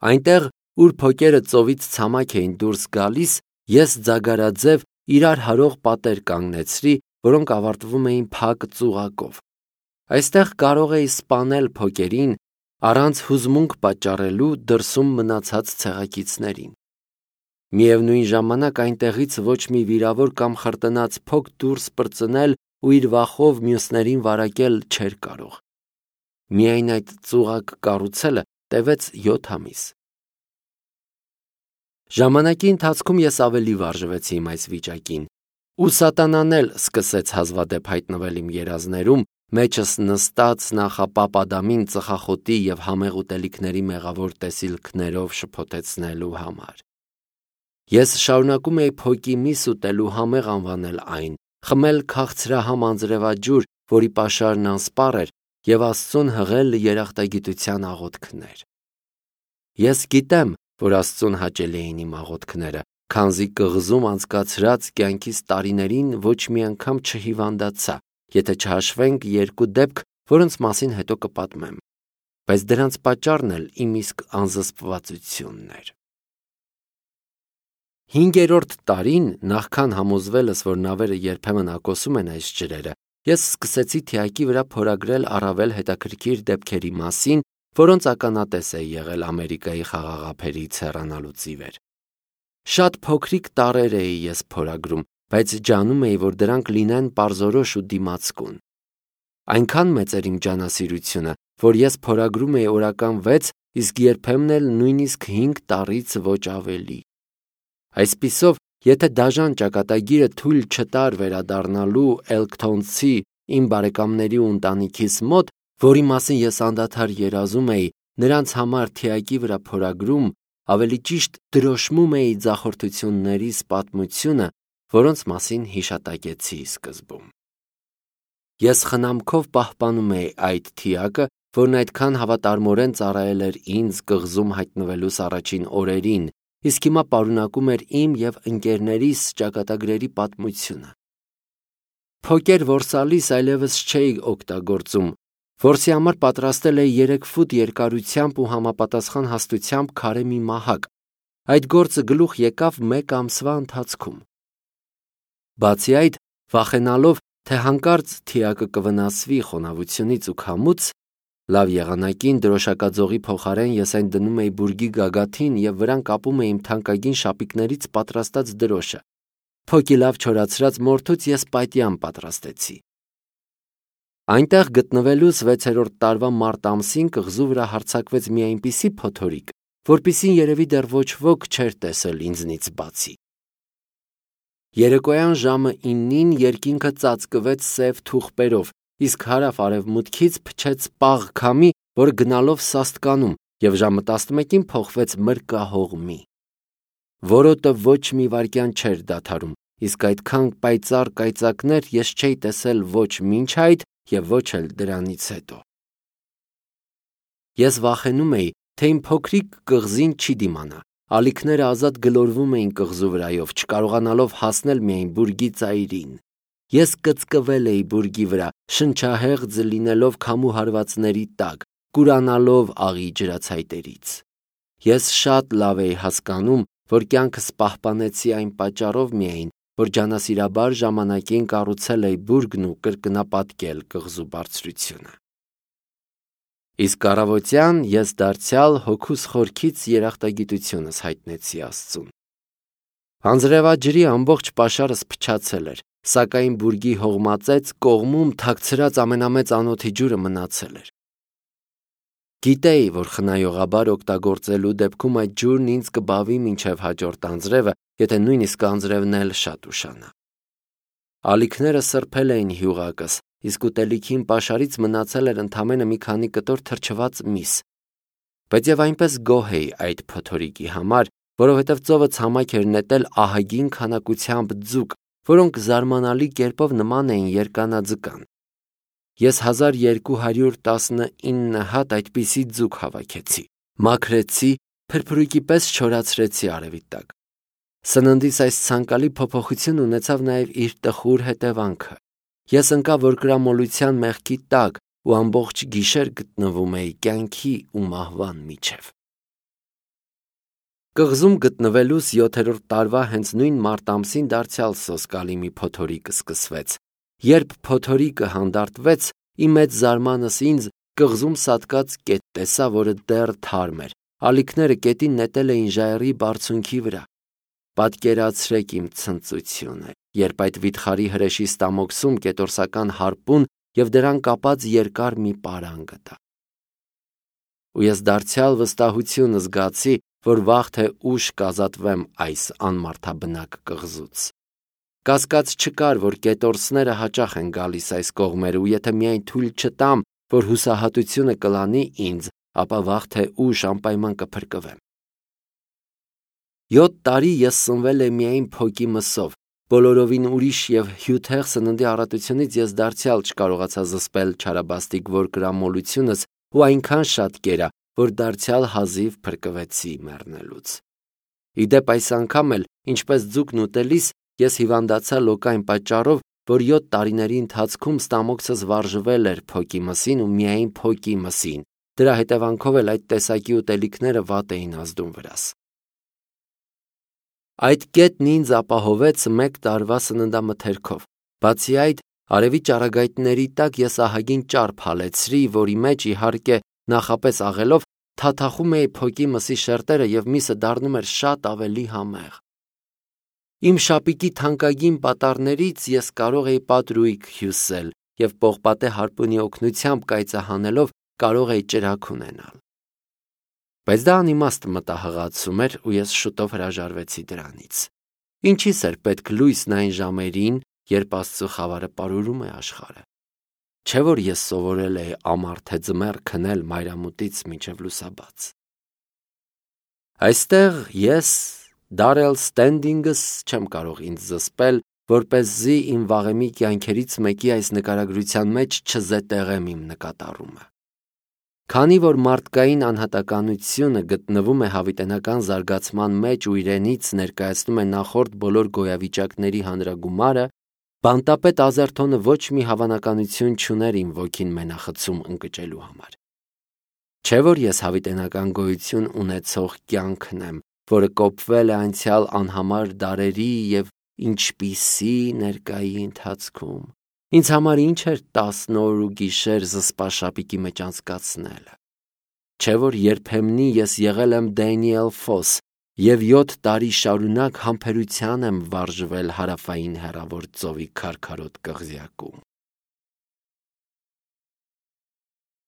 Այնտեղ, ուր փոկերը ծովից ցամաք էին դուրս գալիս, ես ձագարաձև իրար հարող պատեր կանգնեցրի, որոնք ավարտվում էին փակ ծուղակով։ Այստեղ կարող էի սպանել փոկերին առանց հուզմունք պատճառելու դրսում մնացած ցեղակիցներին։ Միևնույն ժամանակ այնտեղից ոչ մի վիրավոր կամ խրտնած փոք դուրս պրծնել ու իր վախով մյուսներին վարակել չէր կարող։ Միայն այդ ծուղակ կառուցելը տևեց 7 ամիս։ Ժամանակի ընթացքում ես ավելի վարժվեցի իմ այս վիճակին, ու սատանան էլ սկսեց հազվադեպ հայտնվել իմ երազներում, մեջս նստած նախապապ Ադամին ծխախոտի և համեղ ուտելիքների մեղավոր տեսիլքներով շփոթեցնելու համար։ Ես շարունակում էի փոկի միս ուտել ու համեղ անվանել այն, խմել քաղցրահամ անձրևաջուր, որի պաշարն անսպառ էր, և Աստծուն հղել երախտագիտության աղոթքներ։ Ես գիտեմ, որ Աստծուն հաճելի էին իմ աղոթքները, քանզի կղզում անցկացրած կյանքիս տարիներին ոչ մի անգամ չհիվանդացա, եթե չհաշվենք 2 դեպք, որոնց մասին հետո կպատմեմ, բայց դրանց պատճառն էլ իմ իսկ անզսպվածությունն էր։ 5-րդ տարին, նախքան համոզվելս, որ նավերը երբեմն ակոսում են այս ջրերը, ես սկսեցի թիակի վրա փորագրել առավել հետաքրքիր դեպքերի մասին, որոնց ականատես էի եղել Ամերիկայի խաղաղափերից հեռանալուց ի վեր։ Շատ փոքրիկ տառեր էի ես փորագրում, բայց ջանում էի, որ դրանք լինեն պարզորոշ ու դիմացկուն։ Այնքան մեծ էր իմ ջանասիրությունը, որ ես փորագրում էի օրական 6, իսկ երբեմն էլ նույնիսկ 5 տառից ոչ ավելի։ Այսպիսով, եթե դաժան ճակատագիրը թույլ չտար վերադառնալու Էլքթոնցի իմ բարեկամների ու ընտանիքիս մոտ, որի մասին ես անդադար երազում էի, նրանց համար թիակի վրա փորագրում, ավելի ճիշտ դրոշմում էի ձախորդություններիս պատմությունը, որոնց մասին հիշատակեցի սկզբում։ Ես խնամքով պահպանում էի այդ թիակը, որն այդքան հավատարմորեն ծառայել էր ինձ կղզում հայտնվելուս առաջին օրերին, իսկ հիմա պարունակում էր իմ և ընկերներիս ճակատագրերի պատմությունը։ Փոկեր որսալիս այլևս չէի օգտագործում, որսի համար պատրաստել էի 3 ֆուտ երկարությամբ ու համապատասխան հաստությամբ քարե մի մահակ։ Այդ գործը գլուխ եկավ 1 ամսվա ընթացքում։ Բացի այդ, վախենալով, թե հանկարծ թիակը կվնասվի խոնավությունից ու քամուց, լավ եղանակին դրոշակաձողի փոխարեն ես այն դնում էի բուրգի գագաթին և վրան կապում էի իմ թանկագին շապիկներից պատրաստած դրոշը։ Փոկի լավ չորացրած մորթուց ես պատյամ պատրաստեցի։ Այնտեղ գտնվելուց 6-րդ տարվա մարտ ամսին կղզու վրա հարձակվեց մի այնպիսի փոթորիկ, որպիսին երևի դեռ ոչ ոք չէր տեսել ինձնից բացի։ Երեկոյան ժամը 9-ին երկինքը ծածկվեց սև թուղպերով, իսկ հարավ-արևմուտքից փչեց պաղ քամի, որը գնալով սաստկանում, և ժամը 11-ին փոխվեց մրրկահողմի։ Որոտը ոչ մի վայրկյան չէր դադարում, իսկ այդքան պայծառ կայծակներ ես չէի տեսել ոչ մինչ այդ և ոչ էլ դրանից հետո։ Ես վախենում էի, թե իմ փոքրիկ կղզին չի դիմանա, ալիքները ազատ գլորվում էին կղզու վրայով, չկարողանալով հասնել միայն բուրգի ծայրին։ Ես կծկվել էի բուրգի վրա, շնչահեղձ լինելով քամու հարվածների տակ, կուրանալով աղի ջրացայտերից։ Ես շատ լավ էի հասկանում, որ կյանքս պահպանեցի այն պատճառով միայն, որ ջանասիրաբար ժամանակին կառուցել էի բուրգն ու կրկնապատկել կղզու բարձրությունը։ Իսկ առավոտյան ես դարձյալ հոգուս խորքից երախտագիտությունս հայտնեցի Աստծուն։ Անձրևաջրի ամբողջ պաշարս փչացել էր, սակայն բուրգի հողմածեց կողմում թաքցրած ամենամեծ անոթի ջուրը մնացել էր։ Գիտեի, որ խնայողաբար օգտագործելու դեպքում այդ ջուրն ինձ կբավի մինչև հաջորդ անձրևը, եթե նույնիսկ անձրևն էլ շատ ուշանա։ Ալիքները սրբել էին հյուղակս, իսկ ուտելիքին պաշարից մնացել էր ընդամենը մի քանի կտոր թրջված միս։ Բայց եւ այնպես գոհ էի այդ փոթորիկի համար, որովհետև ծովը ցամաք էր նետել ահագին քանակությամբ ձուկ, որոնք զարմանալի կերպով նման էին երկանաձկան։ Ես 1219 հատ այդպիսի ձուկ հավաքեցի, մաքրեցի, փրփրույկի պես չորացրեցի արևի տակ։ Սննդիս այս ցանկալի փոփոխությունն ունեցավ նաև իր տխուր հետևանքը։ Ես ընկա որկրամոլության մեղքի տակ ու ամբողջ գիշեր գտնվում էի կյանքի ու մահվան միջև։ Կղզում գտնվելուս 7-րդ տարվա հենց նույն մարտ ամսին դարձյալ սոսկալի մի փոթորիկ սկսվեց։ Երբ փոթորիկը հանդարտվեց, իմ մեծ զարմանս ինձ կղզում սատկած կետ տեսա, որը դեռ թարմ էր։ Ալիքները կետին նետել էին ժայռի բարձունքի վրա։ Պատկերացրեք իմ ցնծությունը, երբ այդ վիթխարի հրեշի ստամոքսում կետորսական հարպուն և դրան կապած երկար մի պարան գտա։ Ու ես դարձյալ վստահություն զգացի, որ վաղ թե ուշ կազատվեմ այս անմարդաբնակ կղզուց։ Կասկած չկար, որ կետորսները հաճախ են գալիս այս կողմերը, ու եթե միայն թույլ չտամ, որ հուսահատությունը կլանի ինձ, ապա վաղ թե ուշ անպայման կփրկվեմ։ 7 տարի ես սնվել եմ միայն փոկի մսով։ Բոլորովին ուրիշ և հյութեղ սննդի առատությունից ես դարձյալ չկարողացա զսպել չարաբաստիկ որկրամոլությունս ու այնքան շատ կերա, որ դարձյալ հազիվ փրկվեցի մեռնելուց։ Իդեպ այս անգամ էլ, ինչպես ձուկն ուտելիս, ես հիվանդացա լոկային պատճառով, որ 7 տարիների ընթացքում ստամոքսս վարժվել էր փոկի մսին ու միայն փոկի մսին։ Դրա հետևանքով էլ այդ տեսակի ուտելիքները վատ էին ազդում վրաս։ Այդ կետն ինձ ապահովեց 1 տարվա սննդամթերքով։ Բացի այդ, արևի ճառագայթների տակ ես ահագին ճարպ հալեցրի, որի մեջ, իհարկե, նախապես աղելով, թաթախում էի փոկի մսի շերտերը և միսը դառնում էր շատ ավելի համեղ։ Իմ շապիկի թանկագին պատառներից ես կարող էի պատրույգ հյուսել և պողպատե հարպունի օգնությամբ կայծահանելով կարող էի ճրագ ունենալ։ Բայց դա անիմաստ մտահղացում էր ու ես շուտով հրաժարվեցի դրանից։ Ինչիս էր պետք լույսն այն ժամերին, երբ Աստծո խավարը պարուրում է աշխարհը։ Չէ՞ որ ես սովորել էի ամառ թե ձմեռ քնել մայրամուտից մինչև լուսաբաց։ Այստեղ ես, Դարել Ստենդինգս, չեմ կարող ինձ զսպել, որպեսզի իմ վաղեմի կյանքերից մեկի այս նկարագրության մեջ չզետեղեմ իմ նկատառումը։ Քանի որ մարդկային անհատականությունը գտնվում է հավիտենական զարգացման մեջ ու իրենից ներկայացնում է նախորդ բոլոր գոյավիճակների հանրագումարը, բանտապետ Ազերթոնը ոչ մի հավանականություն չուներ իմ ոգին մենախցում ընկճելու համար։ Չէ՞ որ ես հավիտենական գոյություն ունեցող կյանքն եմ, որը կոփվել է անցյալ անհամար դարերի և ինչպիսի ներկայի ընթացքում։ Ինձ համար ինչ էր 10 օր ու գիշեր զսպաշապիկի մեջ անցկացնելը։ Չէ՞ որ երբեմնի ես եղել եմ Դենիել Ֆոս և 7 տարի շարունակ համբերության եմ վարժվել հարավային հեռավոր ծովի քարքարոտ կղզյակում։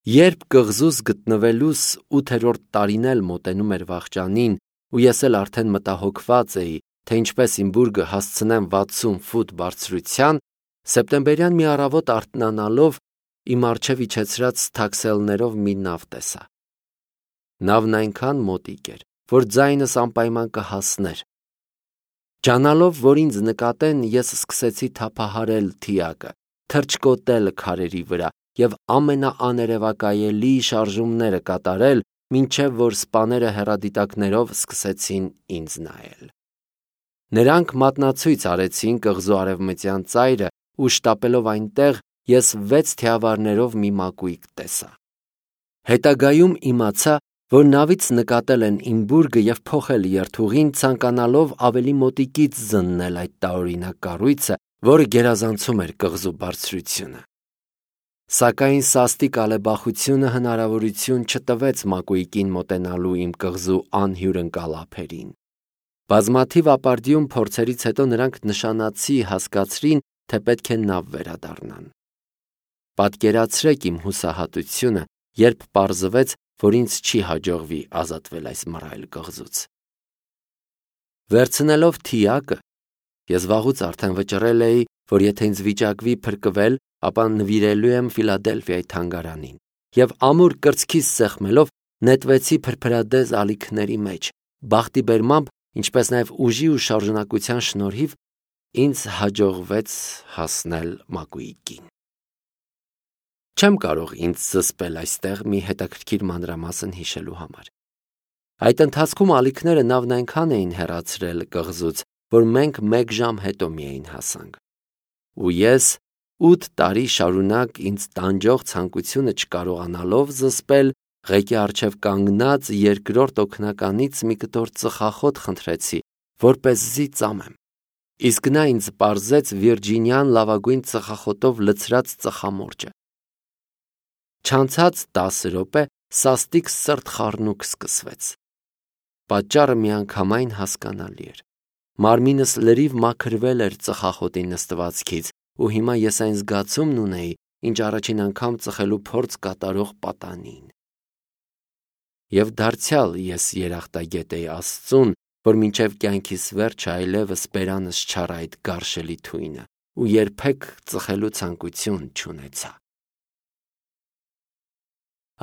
Երբ կղզուց գտնվելուս 8-րդ տարին էլ մոտենում էր վախճանին, ու ես էլ արդեն մտահոգված էի, թե ինչպես իմ բուրգը հասցնեմ 60 ֆուտ բարձրության, սեպտեմբերյան մի առավոտ արթնանալով իմ առջև իջեցրած թաքսելներով մի նավ տեսա։ Նավն այնքան մոտիկ էր, որ ձայնս անպայման կհասներ։ Ջանալով, որ ինձ նկատեն, ես սկսեցի թափահարել թիակը, թռչկոտել քարերի վրա և ամենաաներևակայելի շարժումները կատարել, մինչև որ սպաները հեռադիտակներով սկսեցին ինձ նայել։ Նրանք մատնացույց արեցին կղզու արևմտյան ծայրը ու շտապելով այնտեղ ես 6 թիավարներով մի մակույկ տեսա։ Հետագայում իմացա, որ նավից նկատել են իմ բուրգը և փոխել երթուղին, ցանկանալով ավելի մոտիկից զննել այդ տարօրինակ կառույցը, որը գերազանցում էր կղզու բարձրությունը։ Սակայն սաստիկ ալեբախությունը հնարավորություն չտվեց մակույկին մոտենալու իմ կղզու անհյուրընկալ ափերին։ Բազմաթիվ ապարդյուն փորձերից հետո նրանք նշանացի հասկացրին, թե պետք է նավ վերադառնան։ Պատկերացրեք իմ հուսահատությունը, երբ պարզվեց, որ ինձ չի հաջողվի ազատվել այս մռայլ կղզուց։ Վերցնելով թիակը, ես վաղուց արդեն վճռել էի, որ եթե ինձ վիճակվի փրկվել, ապա նվիրելու եմ Ֆիլադելֆիայի թանգարանին, և ամուր կրծքիս սեղմելով նետվեցի փրփրադեզ ալիքների մեջ։ Բախտի բերմամբ, ինչպես նաև ուժի ու շարժունակության շնորհիվ, ինձ հաջողվեց հասնել մակույկին։ Չեմ կարող ինձ զսպել այստեղ մի հետաքրքիր մանրամասն հիշելու համար։ Այդ ընթացքում ալիքները նավն այնքան էին հեռացրել կղզուց, որ մենք 1 ժամ հետո միայն հասանք։ Ու ես 8 տարի շարունակ ինձ տանջող ցանկությունը չկարողանալով զսպել, Ղեկի առջև կանգնած երկրորդ օգնականից մի կտոր ծխախոտ խնդրեցի, որպեսզի ծամեմ։ Իսկ նա ինձ պարզեց Վիրջինիան լավագույն ծխախոտով լցրած ծխամորճը։ Չանցած 10 րոպե սաստիկ սրտխառնուկ սկսվեց։ Պատճառը միանգամայն հասկանալի էր։ Մարմինս լրիվ մաքրվել էր ծխախոտի նստվածքից, ու հիմա ես այն զգացումն ունեի, ինչ առաջին անգամ ծխելու փորձ կատարող պատանին։ Եվ դարձյալ ես երախտագետ էի Աստծուն, որ մինչև կյանքիս վերջը այլևս բերանս չառ այդ գարշելի թույնը, ու երբեք ծխելու ցանկություն չունեցա։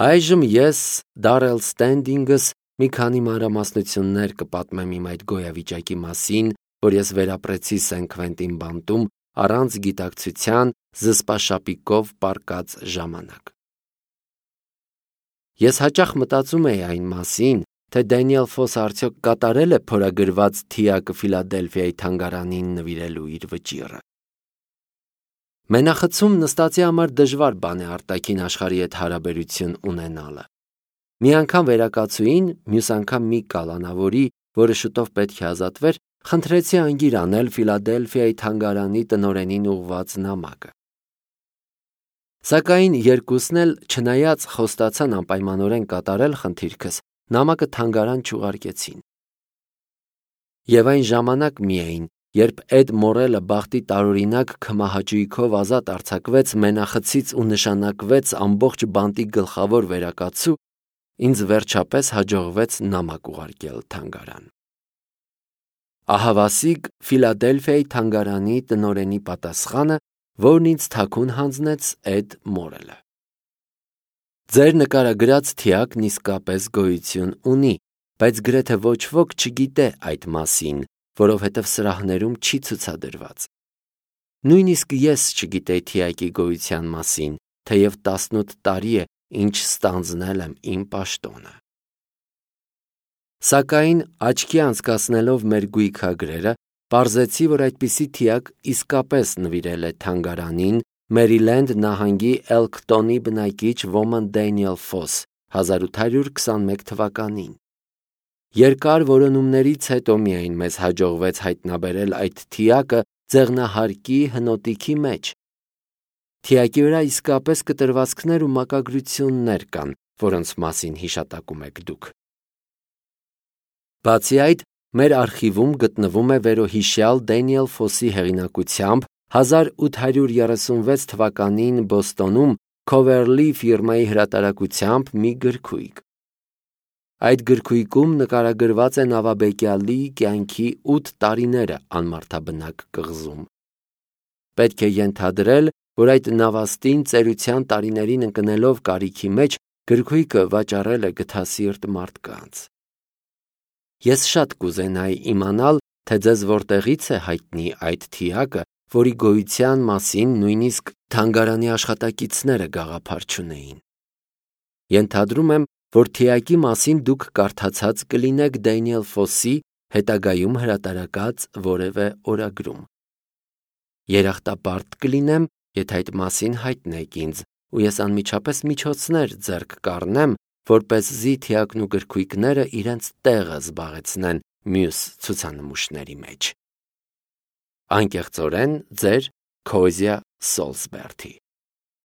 Այժմ ես Դարել Ստենդինգս մի քանի մանրամասնություններ կպատմեմ իմ այդ գոյավիճակի մասին, որ ես վերապրեցի Սեն Քվենտին բանտում առանց գիտակցության զսպաշապիկով պառկած ժամանակ։ Ես հաճախ մտածում էի այն մասին, թե Դենիել Ֆոսը արդյոք կատարել է փորագրված թիակը Ֆիլադելֆիայի թանգարանին նվիրելու իր վճիռը։ Մենախցում նստածի համար դժվար բան է արտաքին աշխարհի հետ հարաբերություն ունենալը։ Մի անգամ վերակացուին, մյուս անգամ մի կալանավորի, որը շուտով պետք է ազատվեր, խնդրեցի անգիր անել Ֆիլադելֆիայի թանգարանի տնօրենին ուղղված նամակը։ Սակայն երկուսն էլ, չնայած խոստացան անպայմանորեն կատարել խնդիրքս, նամակը թանգարան չուղարկեցին։ Եվ այն ժամանակ միայն, երբ Էդ Մորելը բախտի տարօրինակ քմահաճույքով ազատ արձակվեց մենախցից ու նշանակվեց ամբողջ բանտի գլխավոր վերակացու, ինձ վերջապես հաջողվեց նամակ ուղարկել թանգարան։ Ահավասիկ Ֆիլադելֆիայի թանգարանի տնօրենի պատասխանը, որն ինձ թաքուն հանձնեց Էդ Մորելը։ Ձեր նկարագրած թիակն իսկապես գոյություն ունի, բայց գրեթե ոչ ոք չգիտե այդ մասին, որովհետև սրահներում չի ցուցադրված։ Նույնիսկ ես չգիտեի թիակի գոյության մասին, թեև 18 տարի է, ինչ ստանձնել եմ իմ պաշտոնը։ Սակայն աչքի անցկացնելով մեր գույքագրերը, պարզեցի, որ այդպիսի թիակ իսկապես նվիրել է թանգարանին Մերիլենդ նահանգի Էլքտոնի բնակիչ Ոման Դենիել Ֆոս 1821 թվականին։ Երկար որոնումներից հետո միայն մեզ հաջողվեց հայտնաբերել այդ թիակը ձեղնահարկի հնոտիքի մեջ։ Թիակի վրա իսկապես կտրվածքներ ու մակագրություններ կան, որոնց մասին հիշատակում եք դուք։ Բացի այդ, մեր արխիվում գտնվում է վերոհիշյալ Դենիել Ֆոսի հեղինակությամբ 1836 թվականին Բոստոնում Քովերլի ֆիրմայի հրատարակությամբ մի գրքույկ։ Այդ գրքույկում նկարագրված է նավաբեկյալի կյանքի 8 տարիները անմարդաբնակ կղզում։ Պետք է ենթադրել, որ այդ նավաստին ծերության տարիներին ընկնելով կարիքի մեջ գրքույկը վաճառել է գթասիրտ մարդկանց։ Ես շատ կուզենայի իմանալ, թե ձեզ որտեղից է հայտնի այդ թիակը, որի գոյության մասին նույնիսկ թանգարանի աշխատակիցները գաղափար չունեին։ Ենթադրում եմ, որ թիակի մասին դուք կարդացած կլինեք Դենիել Ֆոսի հետագայում հրատարակած որևէ օրագրում։ Երախտապարտ կլինեմ, եթե այդ մասին հայտնեք ինձ, ու ես անմիջապես միջոցներ ձեռք կառնեմ, որպեսզի թիակն ու գրքույկները իրենց տեղը զբաղեցնեն մյուս ցուցանմուշների մեջ։ Անկեղծորեն, ձեր Քոզյա Սոլսբերթի։